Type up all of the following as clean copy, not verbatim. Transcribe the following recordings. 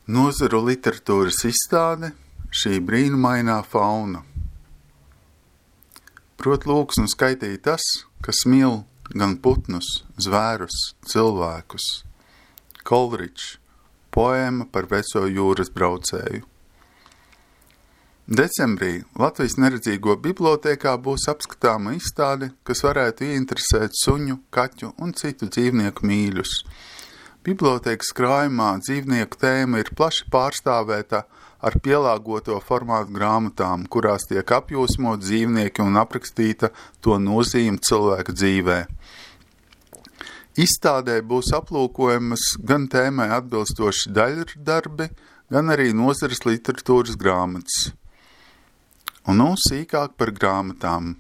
Nozaru literatūras izstāde Šī brīnumainā fauna. Prot lūgs un skaitīja tas, kas mīl gan putnus, zvērus, cilvēkus. Kolričs, poēma par veco jūras braucēju. Decembrī Latvijas neredzīgo bibliotēkā būs apskatāma izstāde, kas varētu ieinteresēt suņu, kaķu un citu dzīvnieku mīļus. Bibliotēkas krājumā dzīvnieku tēma ir plaši pārstāvēta ar pielāgoto formātu grāmatām, kurās tiek apjūsmot dzīvnieki un aprakstīta to nozīme cilvēka dzīvē. Izstādē būs aplūkojamas gan tēmai atbilstoši daļdarbi, gan arī nozares literatūras grāmatas. Un nu sīkāk par grāmatām.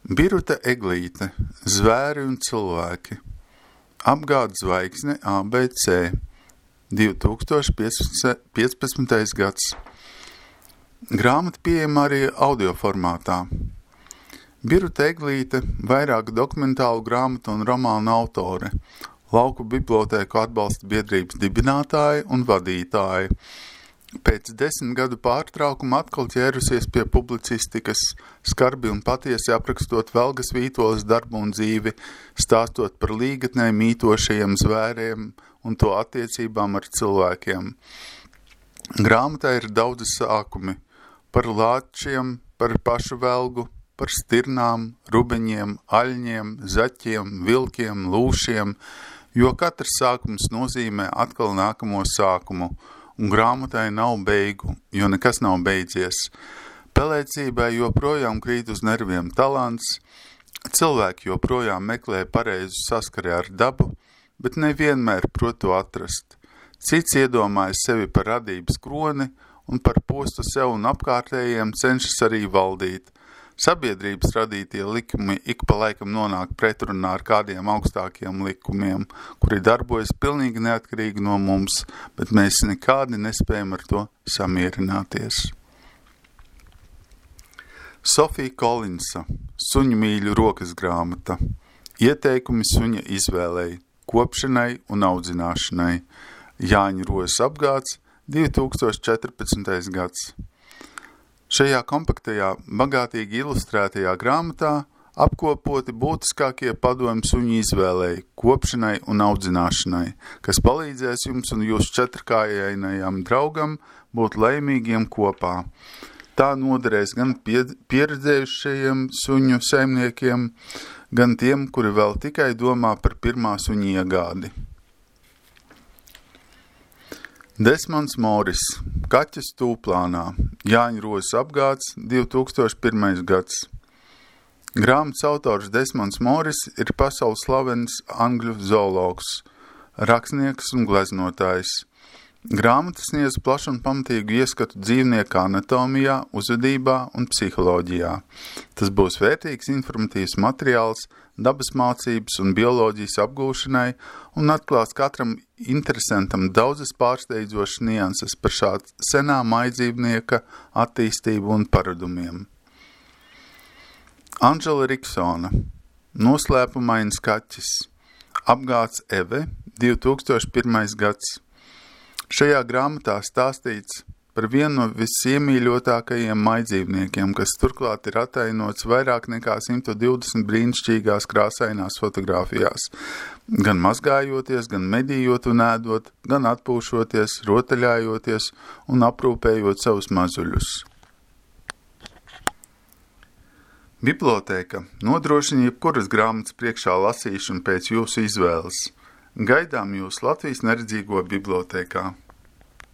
Biruta Eglīte, Zvēri un cilvēki. Apgādes zvaigzne ABC. 2015. gads. Grāmata pieejama arī audio formātā. Biruta Eglīte, vairāku dokumentālu grāmatu un romānu autore, Lauku bibliotēku atbalsta biedrības dibinātāja un vadītāja. Pēc 10 gadu pārtraukuma atkal ķērusies pie publicistikas, skarbi un patiesi aprakstot Velgas Vītoles darbu un dzīvi, stāstot par līgatnē mītošajiem zvēriem un to attiecībām ar cilvēkiem. Grāmatā ir daudzi sākumi par lāčiem, par pašu velgu, par stirnām, rubeņiem, aļņiem, zaķiem, vilkiem, lūšiem, jo katrs sākums nozīmē atkal nākamo sākumu, un grāmatai nav beigu, jo nekas nav beidzies. Pelēcībai joprojām krīt uz nerviem talants, cilvēki joprojām meklē pareizu saskari ar dabu, bet nevienmēr prot to atrast. Cits iedomājas sevi par radības kroni un par postu sev un apkārtējiem cenšas arī valdīt. Sabiedrības radītie likumi ik pa laikam nonāk pretrunā ar kādiem augstākiem likumiem, kuri darbojas pilnīgi neatkarīgi no mums, bet mēs nekādi nespējam ar to samierināties. Sofija Kolinsa, Suņu mīļu rokas grāmata. Ieteikumi suņa izvēlei, kopšanai un audzināšanai. Jāņa Rozes apgāds, 2014. gads. Šajā kompaktajā, bagātīgi ilustrētajā grāmatā apkopoti būtiskākie padomi suņu izvēlei, kopšanai un audzināšanai, kas palīdzēs jums un jūsu četrkājainajam draugam būt laimīgiem kopā. Tā noderēs gan pieredzējušajiem suņu saimniekiem, gan tiem, kuri vēl tikai domā par pirmā suņa iegādi. Desmonds Moris, Kaķis tūplānā, Jāņa Rozes apgāds, 2001. gads. Grāmatas autors Desmonds Moris ir pasaules slavens angļu zoologs, rakstnieks un gleznotājs. Grāmata sniedz plašu un pamatīgu ieskatu dzīvnieku anatomijā, uzvedībā un psiholoģijā. Tas būs vērtīgs informatīvs materiāls dabas mācības un bioloģijas apgūšanai un atklās katram interesantam daudzas pārsteidzošas nianses par šāda senā maidzīvnieka attīstību un paradumiem. Anžela Riksona, Noslēpumains kaķis, apgāds Eve, 2001. gads. Šajā grāmatā stāstīts par vienu no visiemīļotākajiem maidzīvniekiem, kas turklāt ir atainots vairāk nekā 120 brīnišķīgās krāsainās fotogrāfijās, gan mazgājoties, gan medījot un ēdot, gan atpūšoties, rotaļājoties un aprūpējot savus mazuļus. Bibliotēka nodrošina jebkuras grāmatas priekšā lasīšanu pēc jūsu izvēles. Gaidām jūs Latvijas neredzīgo bibliotēkā.